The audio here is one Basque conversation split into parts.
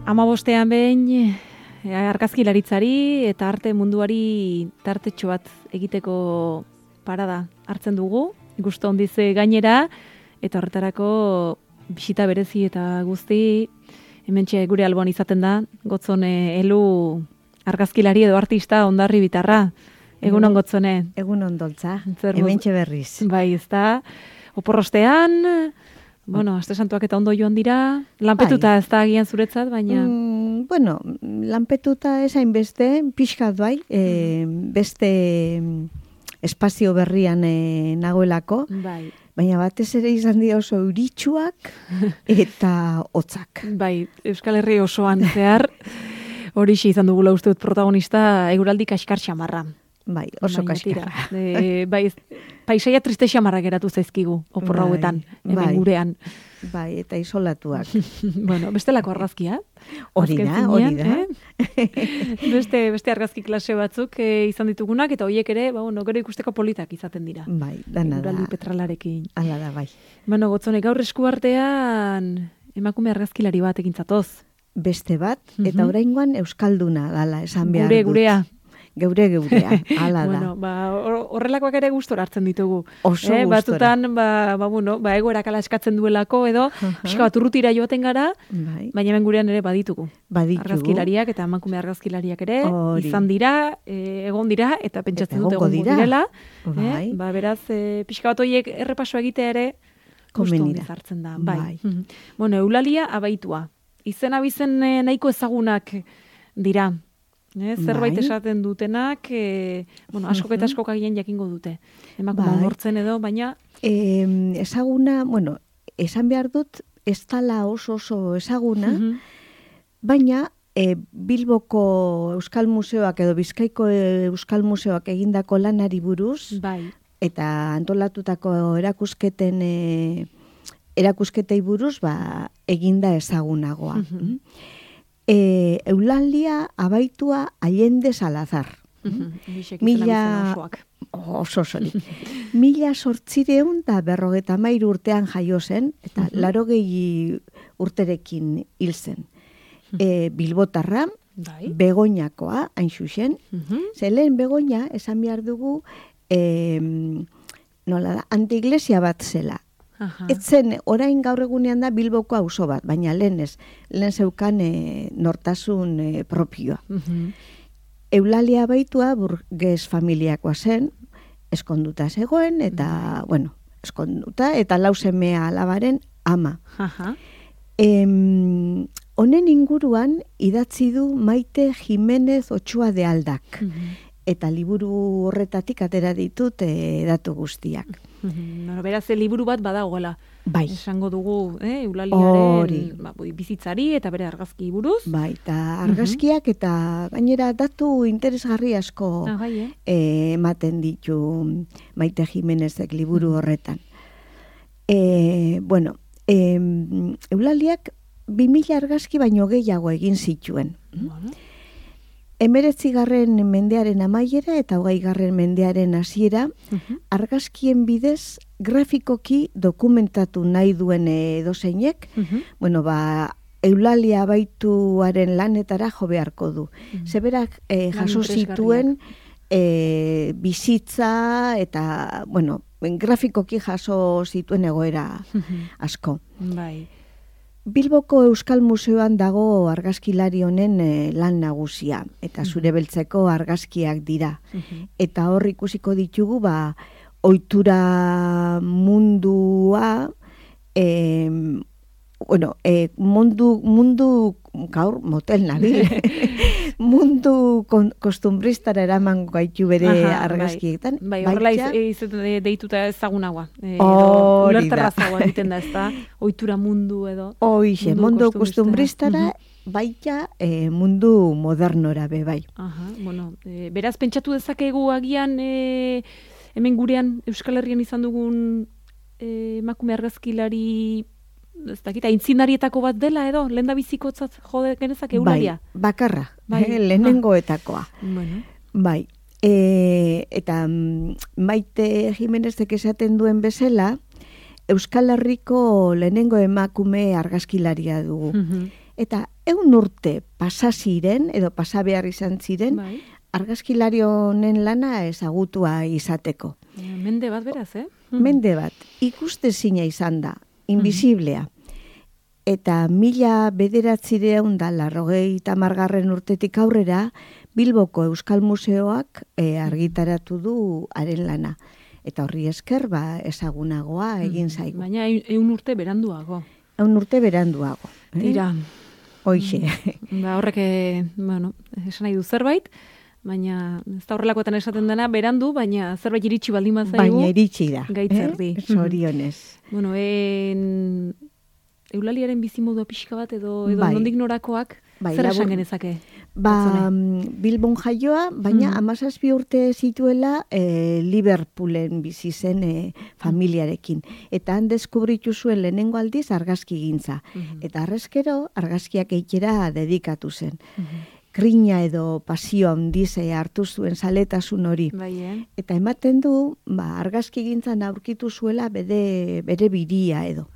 15 behin argazkilaritzari eta arte munduari tartetxo bat egiteko parada hartzen dugu, gustu handiz gainera, eta horretarako bisita berezi eta guzti hementxe gure alboan izaten da, Gotzone Elu argazkilari edo artista Hondarri Bitarra. Egunon Gotzone. Egunon Doltza, hementxe berriz. Bai, ezta. Oporrostean, aste santuak eta ondo joan dira, lanpetuta ez da agian zuretzat, baina... Lanpetuta esain beste, pixkat bai, beste espazio berrian nagoelako, bai. Baina batez ere izan dira oso euritsuak eta hotzak. Bai, Euskal Herri osoan zehar, horixe izan dugula uste dut protagonista eguraldi kaskar xamarra. Bai, oso kaskarra. Bai, paisaia triste xamarra geratu zaizkigu, opor hauetan, hemen gurean. Bai, eta isolatuak. Bestelako argazkia. Hori da. Beste argazki klase batzuk izan ditugunak, eta horiek ere, gero ikusteko politak izaten dira. Bai, dana da. Eguraldi petralarekin. Hala da, bai. Gotzone, gaur esku artean emakume argazkilari bat egintzatoz. Beste bat, eta oraingoan euskalduna dala, esan behar dut. Gurea. Geurea, hala da. Horrelakoak ere gustora hartzen ditugu. Oso gustora. Batutan, egoerak ala eskatzen duelako edo, pixka bat urrutira joaten gara, baina hemen gurean ere baditugu. Argazkilariak eta emakume argazkilariak ere, izan dira, egon dira, eta pentsatzen dut egongo direla. Beraz, pixka bat horiek errepaso egitea ere, gustu hondiz hartzen da. Eulalia abaitua. Izen abizen nahiko ezagunak dira. Zerbait esaten dutenak, askok eta askok agian jakingo dute. Emakume lortzen edo, baina... Ezaguna, esan behar dut, ez dala oso ezaguna, baina Bilboko Euskal Museoak edo Bizkaiko Euskal Museoak egindako lanari buruz, eta antolatutako erakusketei buruz, eginda ezagunagoa. Eulalia abaitua Allende Salazar. Mila 1853 urtean jaio zen, eta 80 urterekin hil zen. Bilbotarra, Begoñakoa, hain zuzen. Zelen Begoña, esan behar dugu, antiglesia bat zela. Etzen, orain gaur egunean da Bilboko auzo bat, baina lehen zeukan nortasun propioa. Eulalia baitua burges familiakoa zen, eskonduta zegoen, eta, eskonduta, eta lausemea alabaren ama. Honen inguruan idatzi du Maite Jimenez Ochoa de Aldak. Eta liburu horretatik atera ditut datu guztiak. Beraz, liburu bat badagoela. Bai. Esango dugu, Eulaliaren bizitzari eta bere argazki buruz. Bai, eta argazkiak eta gainera datu interesgarri asko ematen ditu Maite Jimenezek liburu horretan. Eulaliak 2000 argazki baino gehiago egin zituen. 19. mendearen amaiera eta 20. mendearen hasiera argazkien bidez grafikoki dokumentatu nahi duen edozeinek, Eulalia abaituaren lanetara jo beharko du. Zeberak jaso zituen bizitza eta, grafikoki jaso zituen egoera asko. Bilboko Euskal Museoan dago argazkilari honen lan nagusia, eta zure beltzeko argazkiak dira. Eta hor ikusiko ditugu, ohitura mundua, gaur motel nabil, mundu kostumbristara eraman gaitu bere argazkietan. Horrela deituta ezagunagoa. Ulerterra zagoa egiten da, ez da? Ohitura mundu edo. Hoixe, mundu kostumbristara, baita mundu modernora be bai. Beraz, pentsatu dezakegu agian, hemen gurean Euskal Herrian izan dugun emakume argazkilari, ez dakit, aintzinarietako bat dela edo, lehen da bizikotzat jode genezak Eulalia? Bakarra, lehenengoetakoa. Bai, eta Maite Jimenezek esaten duen bezala, Euskal Herriko lehenengo emakume argazkilaria dugu. Eta 100 urte pasa ziren, edo pasa behar izan ziren, argazkilari honen lana ezagutua izateko. Mende bat beraz, Mende bat, ikustezina izan da, invisiblea. Eta 1990 urtetik aurrera, Bilboko Euskal Museoak argitaratu du haren lana. Eta horri esker, ezagunagoa egin zaigu. Baina 100 urte beranduago. 100 urte beranduago. Tira. Hoixe. Horrek, esan nahi du zerbait, baina ez da horrelakoetan esaten dena, berandu, baina zerbait iritsi baldin bazaigu. Baina iritsi da. Gaitzerdi. Zorionez. Eulaliaren bizimodua pixka bat edo nondik norakoak, zer esan genezake? Bilbon jaioa, baina 17 urte zituela Liverpoolen bizi zen familiarekin. Eta han deskubritu zuen lehenengo aldiz argazki gintza. Eta arrezkero argazkiak eitera dedikatu zen. Grina edo pasio handiz hartu zuen zaletasun hori. Eta ematen du, argazki gintzan aurkitu zuela bere biria edo.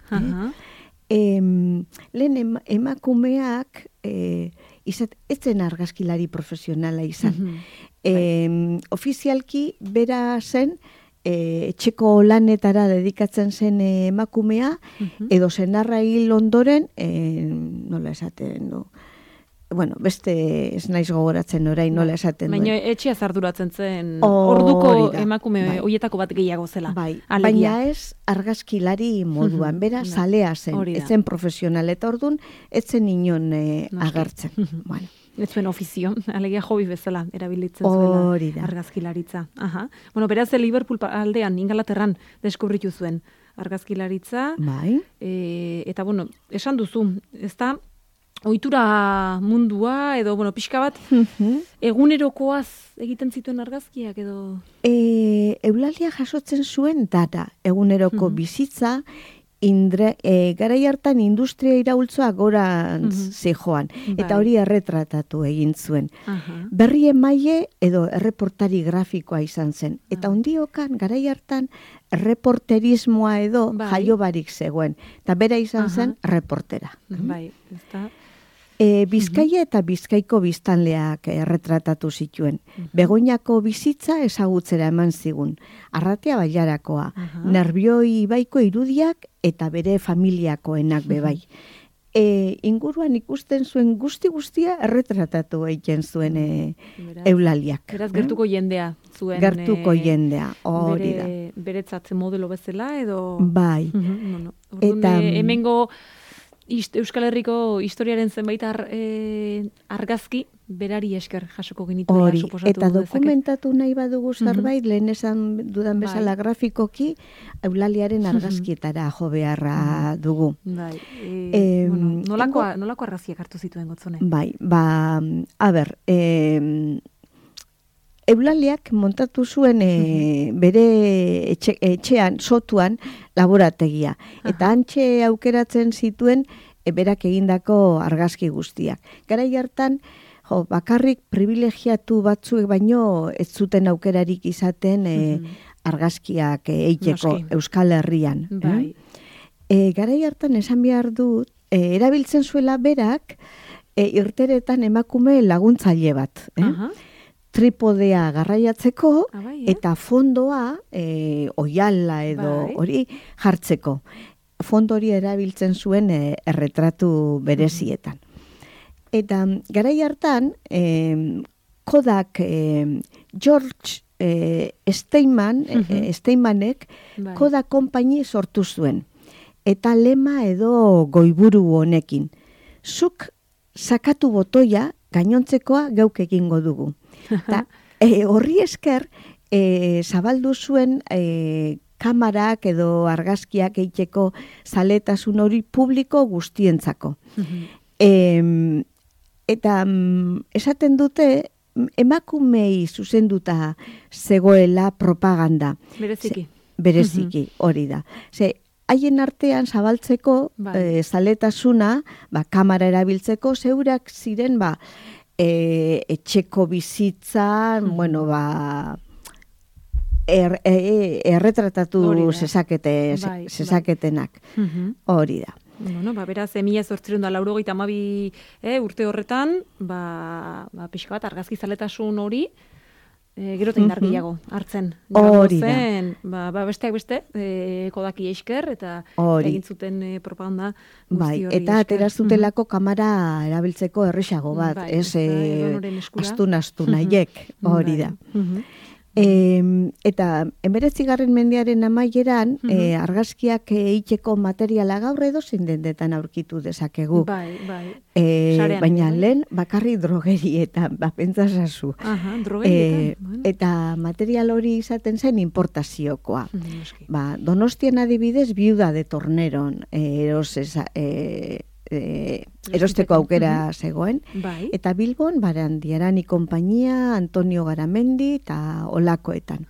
Lehen emakumeak etzen argazkilari profesionala izan. Ofizialki bera zen etxeko lanetara dedikatzen zen emakumea, edo senarra hil ondoren, nola esaten du, beste ez naiz gogoratzen orain nola esaten duen. Baina etxea zarduratzen zen orduko emakume hoietako bat gehiago zela. Baina ez argazkilari moduan, bera zalea zen, etzen profesional eta ordun, etzen inon agertzen. Ez zuen ofizio, alegia hobi bezala erabilitzen zuela argazkilaritza. Beraz, Liverpool aldean, Ingalaterran deskubritu zuen argazkilaritza. Eta, esan duzu, ez da, ohitura mundua, edo, pixka bat, egunerokoaz egiten zituen argazkiak, edo? Eulalia jasotzen zuen data, eguneroko bizitza, garai hartan industria iraultzoa gorantz zejoan, eta hori erretratatu egin zuen. Berri emaile edo erreportari grafikoa izan zen. Eta ondiokan, garai hartan, reporterismoa edo jaio barik zegoen. Eta bera izan zen reportera. Bizkaia eta Bizkaiko biztanleak erretratatu zituen. Begoñako bizitza ezagutzera eman zigun. Arratea Bailarakoa, Nerbioi ibaiko irudiak eta bere familiakoenak bebai. Inguruan ikusten zuen guztia erretratatu egiten zuen Eulaliak. Beraz, gertuko jendea zuen. Gertuko jendea, hori da. Beretzat modelo bezala edo? Bai. Eta hemengo Euskal Herriko historiaren zenbait argazki berari esker jasoko genituela suposatu dezake. Eta dokumentatu nahi badugu zerbait, lehen esan dudan bezala grafikoki, Eulaliaren argazkietara jo beharra dugu. Nolako argazkiak hartu zituen Gotzone? Eulaliak montatu zuen bere etxean, sotuan, laborategia. Eta hantxe aukeratzen zituen berak egindako argazki guztiak. Garai hartan, bakarrik privilegiatu batzuek baino ez zuten aukerarik izaten argazkiak eiteko Euskal Herrian. Garai hartan esan behar dut, erabiltzen zuela berak irteretan emakume laguntzaile bat. Tripodea garraiatzeko eta fondoa oiala edo hori jartzeko. Fondo hori erabiltzen zuen erretratu berezietan. Eta garai hartan Kodak George Steinmanek Kodak Company sortu zuen. Eta lema edo goiburu honekin. Zuk sakatu botoia, gainontzekoa geuk egingo dugu. Horri esker, zabaldu zuen kamarak edo argazkiak eiteko zaletasun hori publiko guztientzako. Eta esaten dute, emakumei zuzenduta zegoela propaganda. Bereziki, hori da. Haien artean zabaltzeko zaletasuna, kamara erabiltzeko, zeurak ziren, etxeko bizitzan, erretratatu zezaketenak. Hori da. Bueno, beraz, 1882 urte horretan, pixka bat argazki zaletasun hori, gero eta indargiago hartzen. Hori da. Besteak beste, Kodaki esker, eta egin zuten propaganda guzti hori. Eta aterazutelako kamera erabiltzeko errexago bat, ez astu nahiek, hori da. Eta 19. mendearen amaieran argazkiak egiteko materiala gaur edo zindendetan aurkitu dezakegu. Baina lehen bakarri drogerietan, pentsasazu. Eta material hori izaten zen importaziokoa. Donostian adibidez Viuda de Torneron erosteko aukera zegoen, eta Bilbon Barandiarani konpainia, Antonio Garamendi eta olakoetan.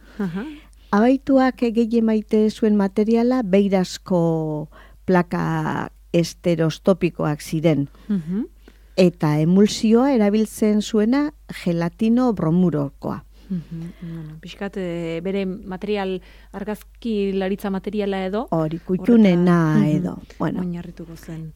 Abaituak gehien maite zuen materiala beirazko plaka esterostopikoak ziren, eta emulsioa erabiltzen zuena gelatino bromurokoa. Piskat, bere material, argazki laritza materiala edo? Hori, kutxunena edo. Oinarrituko zen.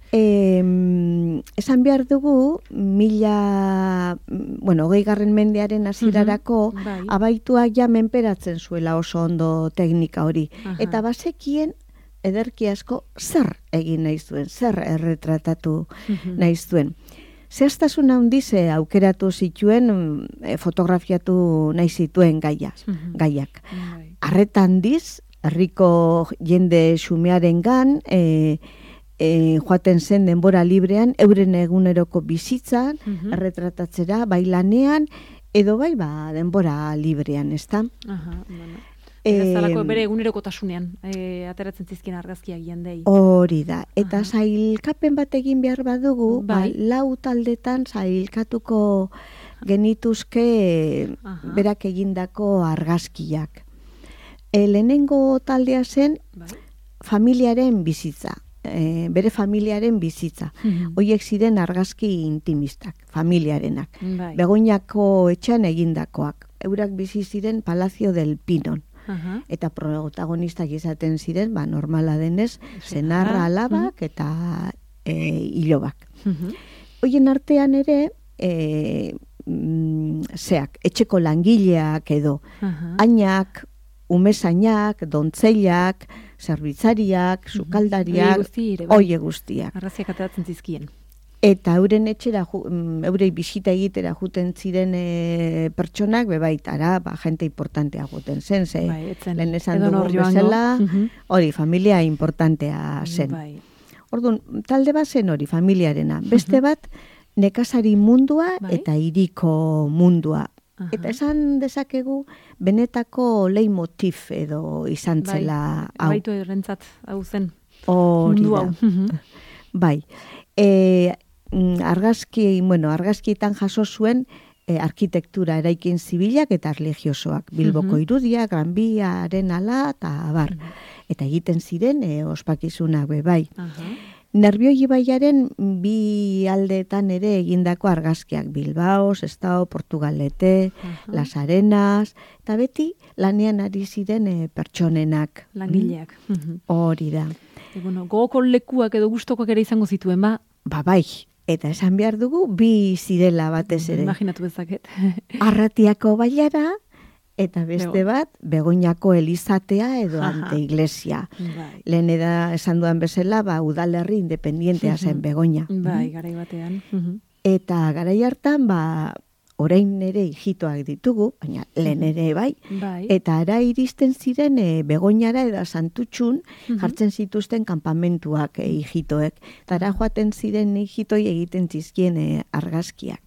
Esan behar dugu, 20. mendearen hasierarako abaituak ja menperatzen zuela oso ondo teknika hori. Eta bazekien, ederki asko, zer egin nahi zuen, zer erretratatu nahi zuen. Zehaztasun handiz aukeratu zituen fotografiatu nahi zituen gaiak. Arreta handiz, herriko jende xumearengan joaten zen denbora librean, euren eguneroko bizitzan, erretratatzera, bai lanean, edo bai denbora librean, ezta? Zalako bere egunerokotasunean ateratzen zizkien argazkiak jendei. Hori da. Eta sailkapen bat egin behar badugu, 4 taldetan sailkatuko genituzke berak egindako argazkiak. Lehenengo taldea zen familiaren bizitza. Bere familiaren bizitza. Hoiek ziren argazki intimistak, familiarenak. Begoñako etxean egindakoak. Eurak bizi ziren Palacio del Pinon. Eta protagonistak izaten ziren, normala denez, senarra, alabak eta hilobak. Hoien artean ere, etxeko langileak edo, ainak, umezainak, dontzeilak, zerbitzariak, sukaldariak, oie guztiak. Arraziak ateratzen zizkien. Eta euren etxera, eurei bisita egitera juten ziren pertsonak, bebaitara, jente importantea juten zen, lehen esan dugu bezala, hori, familia importantea zen. Orduan, talde bat zen hori, familiarena. Beste bat, nekazari mundua eta hiriko mundua. Eta esan dezakegu, benetako leitmotiv edo izan zela hau. Baitu errentzat hau zen mundu hau. Bai. Argazkietan jaso zuen arkitektura eraikin zibilak eta erlijiosoak. Bilboko irudia, Gran Biaren ala eta abar. Eta egiten ziren ospakizunak bai. Nerbioi ibaiaren 2 aldeetan ere egindako argazkiak. Bilbao, Sestao, Portugalete, Las Arenas, eta beti lanean ari ziren pertsonenak. Langileak. Hori da. Gogoko lekuak edo gustokoak ere izango zituen, bai. Eta esan behar dugu, 2 zirela batez ere. Imaginatu bezaket. Arratiako bailara, eta beste bat, Begoñako elizatea edo ante iglesia. Lehen esan duan bezala, udalerri independientea zen Begoña. Bai, garai batean. Eta garai hartan, orain ere hijitoak ditugu, baina lehen ere bai, eta ara iristen ziren Begoñara eta Santutxun jartzen zituzten kanpamentuak hijitoek. Eta ara joaten ziren hijitoi egiten zizkien argazkiak.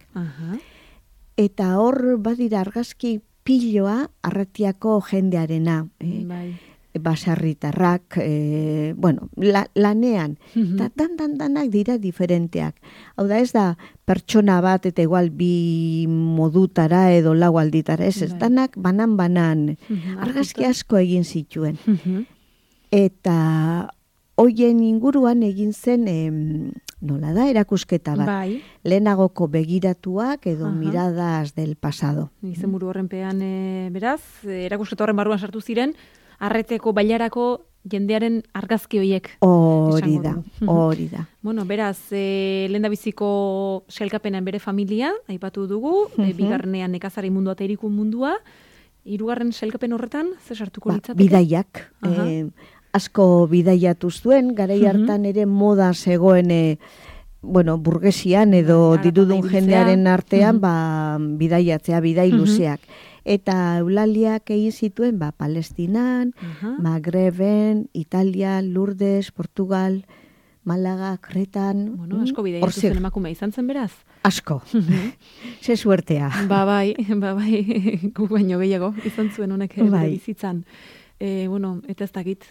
Eta hor badira argazki piloa Arratiako jendearena. Baserritarrak, lanean, eta danak dira diferenteak. Hau da ez da pertsona bat eta igual 2 modutara edo 4 alditara, ez danak banan, argazki asko egin zituen. Eta hoien inguruan egin zen nola da, erakusketa bat. Bai. Lehenagoko begiratuak edo miradas del pasado. Izenburu horrenpean, beraz, erakusketa horren barruan sartu ziren, arreteko bailarako jendearen argazki horiek. Hori da. Bueno, beraz, lehendabiziko sailkapenean bere familia, aipatu dugu, bigarrenean nekazari mundua eta hirikun mundua, hirugarren sailkapen horretan, ze sartuko litzateke? Bidaiak. Asko bidaiatu zuen, garai hartan ere moda zegoen burgesian edo dirudun jendearen artean bidaiatzea, bidai luzeak. Eta Eulaliak egin zituen Palestinan, Magreben, Italia, Lourdes, Portugal, Malaga, Kretan. Bueno, asko bidaiatu zuen emakumea izan zen beraz? Asko. Ze suertea. Bai, gu baino gehiago izan zuen honek bizitzan. Eta ez dakit,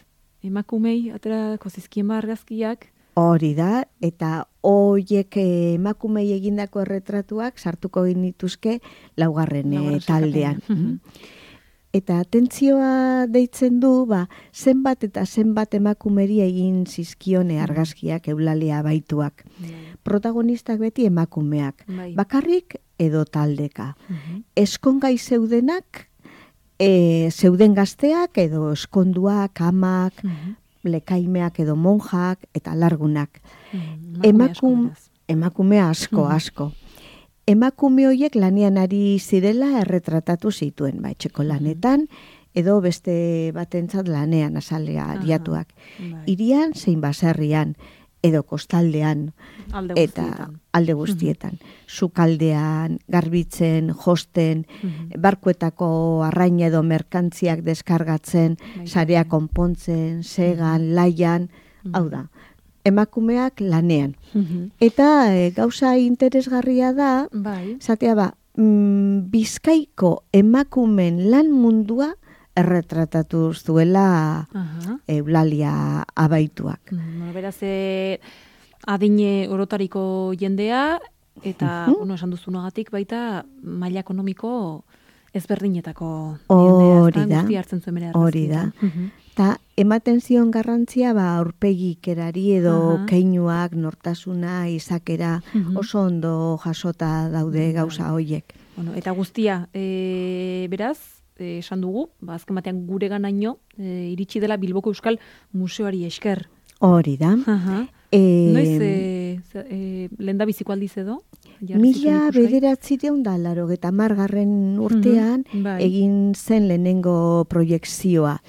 emakumei aterako zizkien argazkiak. Hori da, eta hoiek emakumei egindako erretratuak sartuko genituzke laugarren taldean. Eta atentzioa deitzen du, zenbat eta zenbat emakumeri egin zizkione argazkiak Eulalia Abaituak. Protagonistak beti emakumeak, bakarrik edo taldeka. Eskongai zeudenak, zeuden gazteak edo eskonduak, amak, lekaimeak edo monjak eta largunak. Emakume asko. Emakume horiek lanean ari zirela erretratatu zituen, etxeko lanetan, edo beste batentzat lanean azalea ariatuak. Hirian zein baserrian, edo kostaldean, eta alde guztietan. Sukaldean, garbitzen, josten, barkuetako arraina edo merkantziak deskargatzen, sarea konpontzen, segan, laian, hau da, emakumeak lanean. Eta gauza interesgarria da, zatea Bizkaiko emakumen lan mundua erretratatu zuela Eulalia Abaituak. Beraz, adine orotariko jendea, eta, esan duzunagatik baita, maila ekonomiko ezberdinetako jendea. Hori da. Eta ematen zion garrantzia aurpegikerari edo keinuak, nortasuna, izakera, oso ondo jasota daude gauza hoiek. Eta guztia, beraz, esan dugu, azken batean gure ganaino, iritsi dela Bilboko Euskal Museoari esker. Hori da. Noiz, lehendabiziko aldiz edo? 1980 urtean egin zen lehenengo proiekzioa.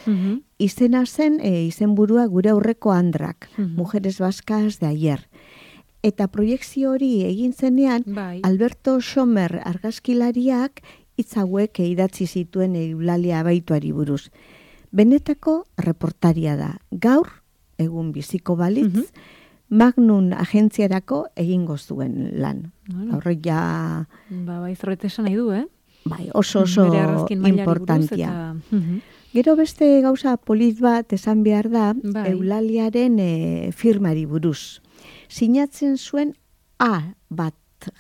Izena zen, izenburua gure aurreko Andrak, Mujeres Vascas de Ayer. Eta proiekzio hori egin zenean, Alberto Schomer argazkilariak hitz hauek idatzi zituen Eulalia Abaituari buruz. Benetako reportaria da. Gaur, egun biziko balitz, Magnum agentziarako egingo zuen lan. Horrek ja... Zorret esan nahi du, oso importantia. Gero beste gauza polit bat esan behar da, Eulaliaren firmari buruz. Sinatzen zuen A bat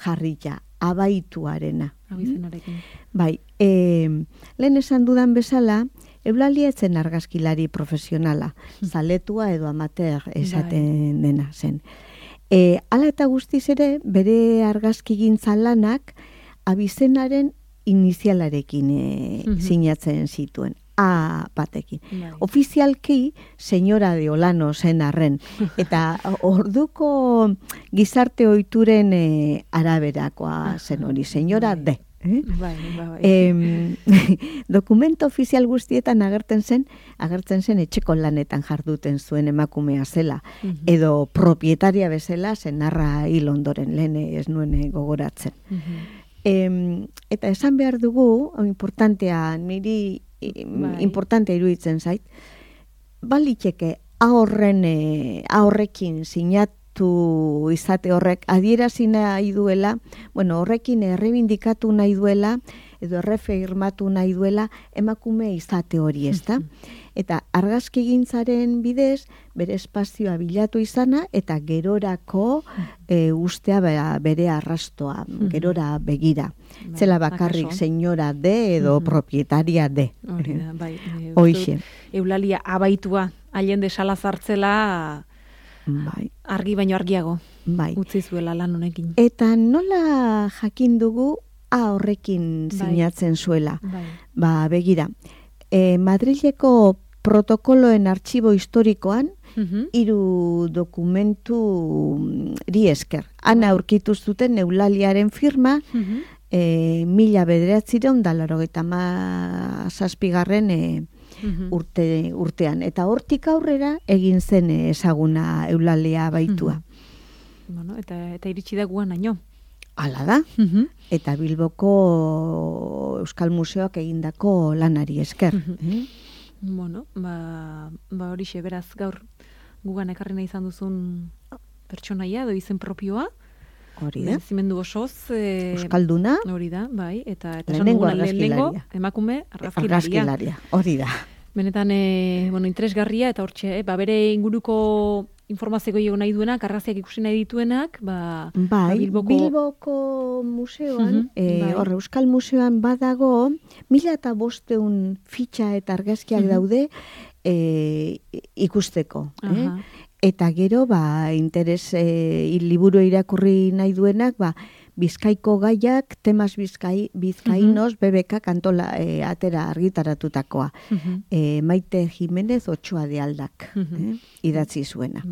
jarrita, Abaituarena. Lehen esan dudan bezala, Eulalia etzen argazkilari profesionala, zaletua edo amateur esaten dena zen. Hala eta guztiz ere, bere argazkigintza lanak abizenaren inizialarekin sinatzen zituen. A batekin. Ofizialki, señora de Olano zen arren. Eta orduko gizarte ohituren araberakoa zen hori, señora de. Dokumento ofizial guztietan agertzen zen etxeko lanetan jarduten zuen emakumea zela. Edo propietaria bezala zenarra hil ondoren, lehen ez nuen gogoratzen. Eta esan behar dugu, niri importantea iruditzen zait, baliteke ahorrekin sinatu izate horrek adierazi nahi duela, horrekin errebindikatu nahi duela, edo errefirmatu nahi duela emakume izate hori, ezta? Eta argazkigintzaren bidez, bere espazioa bilatu izana, eta gerorako ustea bere arrastoa, gerora begira. Zela bakarrik señora de edo propietaria de. Hoixe. Eulalia Abaitua, Allende Salazartzela argi baino argiago utzi zuela lan honekin. Eta nola jakin dugu horrekin sinatzen zuela? Begira, Madrileko protokoloen artxibo historikoan 3 dokumenturi esker. Han aurkitu zuten Eulaliaren firma 1987 urtean. Eta hortik aurrera egin zen ezaguna Eulalia baitua. Eta iritsi da guan haino. Hala da. Eta Bilboko Euskal Museoak egindako lanari esker. Horixe, beraz, gaur gugan ekarri nahi izan duzun pertsonaia, edo izen propioa. Hori da. Zimendu osoz. Euskalduna. Hori da, bai. Eta lehenengo argazkilaria. Emakume argazkilaria. Hori da. Benetan, interesgarria, eta hortxe, bere inguruko informazio gehiago nahi duenak, argazkiak ikusi nahi dituenak, Bilboko museoan, Euskal Museoan badago, 1500 fitxa eta argazkiak daude ikusteko. Eta gero, interes liburu irakurri nahi duenak, Bizkaiko gaiak, temas bizkainos, BBK kantola atera argitaratutakoa. Maite Jimenez Otxoa de Aldak idatzi zuena.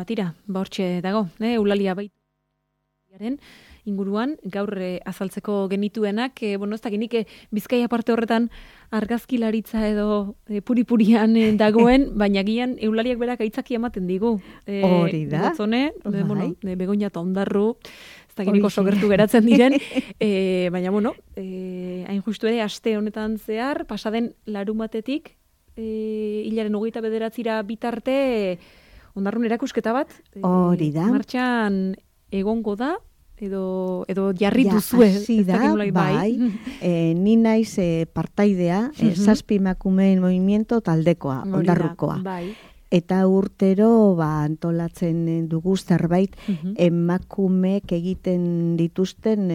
Tira, hortxe dago, Eulalia baitaren inguruan, gaur azaltzeko genituenak, ez dakinik Bizkaia parte horretan argazkilaritza edo puripurian dagoen, baina gian Eulaliak berak aitzaki ematen digu. Hori da. Gotzone, Begoña eta Ondarru, ez dakinik oso gertu geratzen diren, baina, hain justu ere, aste honetan zehar, pasaden larumatetik, hilaren 29 bitarte, Ondarrun erakusketa bat, hori da. Martxan egongo da, edo jarri duzue. Hasi da, bai. Ni naiz partaidea, Zazpi emakumeen movimiento taldekoa, Ondarrukoa. Eta urtero antolatzen dugu zerbait emakumeek egiten dituzten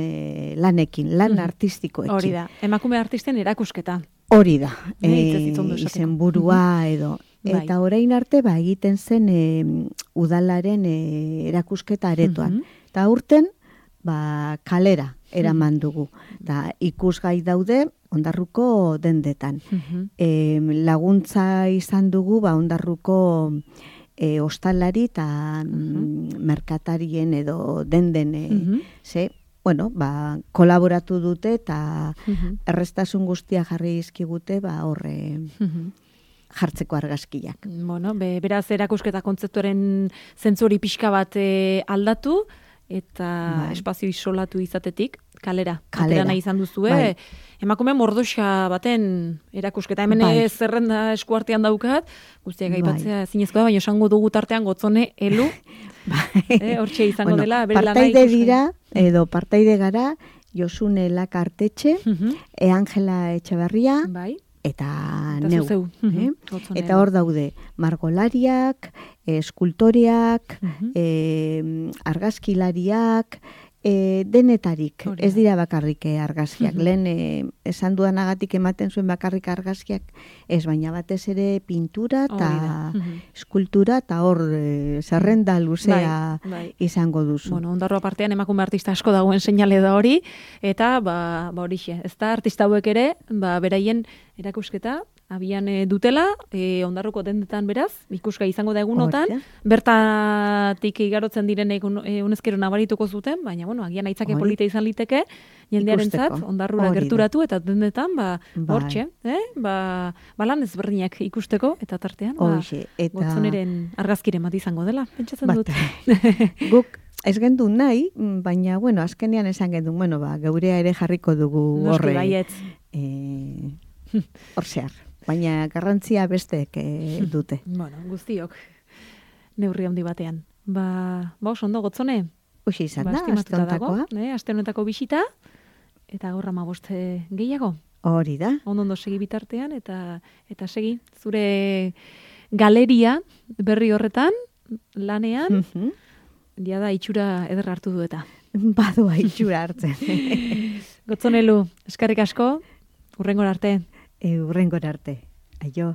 lanekin, lan artistikoekin. Hori da, emakume artisten erakusketa. Hori da, izenburua edo. Eta orain arte egiten zen udalaren erakusketa aretoan. Eta urten, kalera eraman dugu. Ikusgai daude Ondarruko dendetan. Laguntza izan dugu Ondarruko ostalari eta merkatarien edo denden kolaboratu dute eta errestasun guztia jarri izkigute horre jartzeko argazkiak. Beraz erakusketa kontzeptuaren zentzuri pixka bat aldatu, eta espazio isolatu izatetik, kalera nahi izan duzue, emakume mordoxa baten erakusketa, hemen zerrenda eskuartean daukat, guztiak aipatzea zinezko da, baina esango dugu tartean Gotzone, Elu, hortxe izango dela, bere lana partaide dira, edo partaide gara, Josune Lakartetxe, Angela Etxeberria, eta neu. Eta hor daude margolariak, eskultoreak, argazkilariak, denetarik. Ez dira bakarrik argazkiak. Lehen esan dudanagatik ematen zuen bakarrik argazkiak, ez baina batez ere pintura eta eskultura eta hor zerrenda luzea izango duzu. Ondarroa partean emakume artista asko dagoen seinale da hori, eta horixe, ez da artista hauek ere, beraien erakusketa, abian dutela, Ondarruko dendetan beraz, ikusgai izango da egunotan, bertatik igarotzen direnek unezkero nabarituko zuten, baina, agian aitzake polita izan liteke, jendearen zat, Ondarrura gerturatu, eta dendetan, hortxe, lan ezberdinak ikusteko, eta tartean, Gotzoneren argazkiren bat izango dela, pentsatzen dut. Guk ez gendu nahi, baina, azkenean esan gendu, geurea ere jarriko dugu horre. Hor zehar. Baina garrantzia besteek dute. Guztiok neurri handi batean. Oso ondo, Gotzone? Hoxe izan da, aste honetakoa. Aste honetako bisita, eta gaur 15 gehiago. Hori da. Ondo segi bitartean, eta segi zure galeria berri horretan, lanean, da itxura ederra hartu du eta. Badua itxura hartzen. Gotzonelu, eskerrik asko, hurrengora arte. Hurrengora arte. Aio.